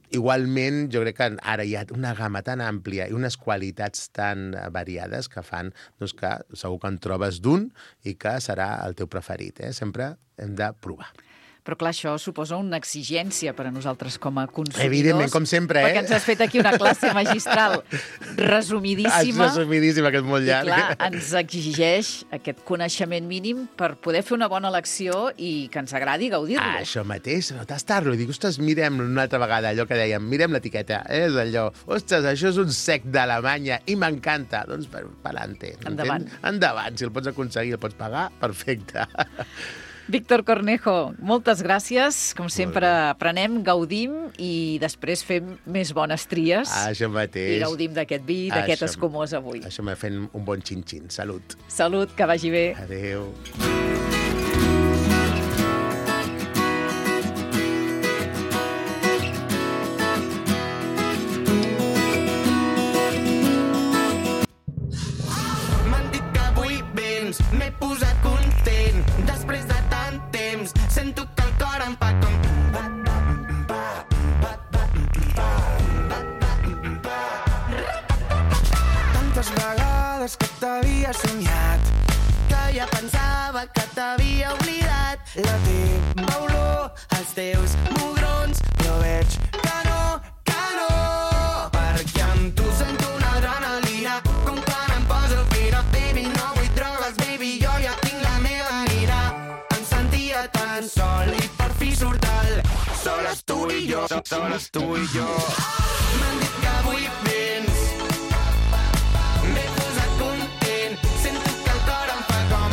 igualment, jo crec que ara hi ha una gamma tan àmplia i unes qualitats tan variades que fan doncs, que segur que en trobes d'un i que serà el teu preferit. Eh? Sempre hem de provar. Però clar, això suposa una exigència per a nosaltres com a consumidors. Evidentment, com sempre, eh? Perquè ens has fet aquí una classe magistral resumidíssima. És resumidíssima, que és molt llarg. I clar, ens exigeix aquest coneixement mínim per poder fer una bona elecció i que ens agradi gaudir-lo. Ah, això mateix, tastar-lo. I dic, ostres, mirem una altra vegada allò que dèiem, mirem l'etiqueta. Eh? És allò, ostres, això és un sec d'Alemanya i m'encanta. Doncs, per, per alante. Endavant. Endavant, si el pots aconseguir, el pots pagar, perfecte. Víctor Cornejo, moltes gràcies. Com sempre, aprenem, gaudim i després fem més bones tries. Ah, això mateix. I gaudim d'aquest vi, d'aquest escumós avui. Això m'ha fet un bon xin-xin. Salut. Salut, que vagi bé. Adéu. t'havia oblidat. La teva olor, els teus mugrons, però veig que no, que no. Perquè amb tu sento una adrenalina, com quan em poso fina. Baby, no vull drogues, baby, jo ja tinc la meva mira. Em sentia tan sol i per fi surt el soles tu i jo, soles tu i jo. M'han dit que avui vens, m'he posat content, sento que el cor em fa com,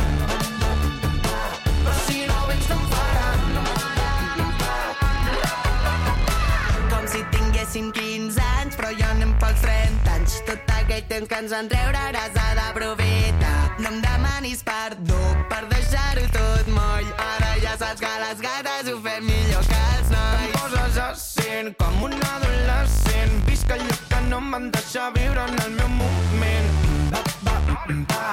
però si no vens no em farà. Com si tinguéssim quinze anys, però jo anem pels trenta anys. Tot aquell temps que ens enreuraràs ha d'aprofitar. No em demanis perdó per deixar-ho tot moll. Ara ja saps que les gates ho fem millor que els nois. Em poses a cent com un adolescent. Visc allò que no em van deixar viure en el meu moment. Va, va, va,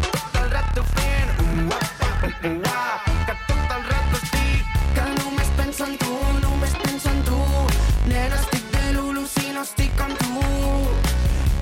tot el rato fent ua, ua, ua, que tot el rato estic, que només penso en tu, només penso en tu. Nena, estic de l'ulu si no estic amb tu.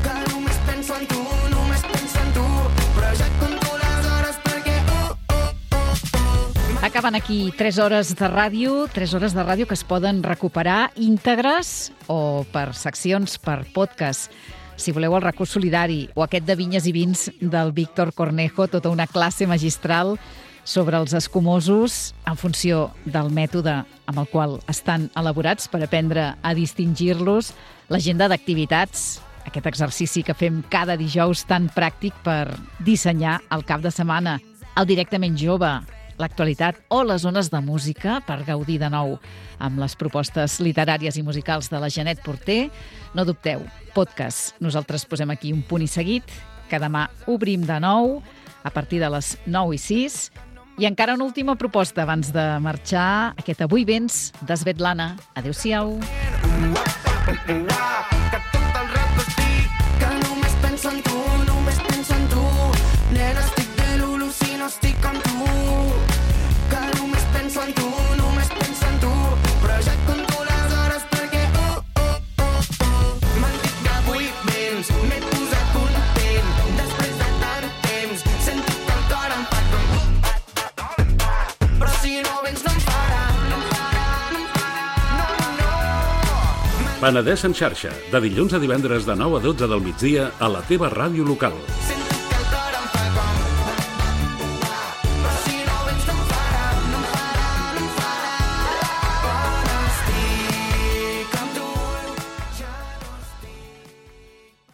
Que només penso en tu, només penso en tu. Però ja et conto les hores perquè oh, oh, oh, oh. Acaben aquí tres hores de ràdio, tres hores de ràdio que es poden recuperar íntegres o per seccions, per podcast. Si voleu el recurs solidari o aquest de vinyes i vins del Víctor Cornejo, tota una classe magistral sobre els escumosos en funció del mètode amb el qual estan elaborats per aprendre a distingir-los, l'agenda d'activitats, aquest exercici que fem cada dijous tan pràctic per dissenyar el cap de setmana, el directament jove, l'actualitat o les zones de música per gaudir de nou amb les propostes literàries i musicals de la Janet Porter. No dubteu, podcast. Nosaltres posem aquí un punt i seguit, que demà obrim de nou a partir de les nou i sis. I encara una última proposta abans de marxar, aquest Avui vens de Svetlana. Adéu-siau. Que tot el rato estic, que només penso en tu, només penso en tu. Nena, estic de l'ulu si no estic amb tu. Que només penso en tu, només penso en tu. Però ja et conto les hores perquè oh, oh, oh, oh. M'han dit que avui vens, m'he posat content. Després de tant temps, sento que el cor em fa com, però si no vens no em farà. No em farà, no em farà, no, no. Penedès en xarxa, de dilluns a divendres de nou a dotze del migdia a la teva ràdio local.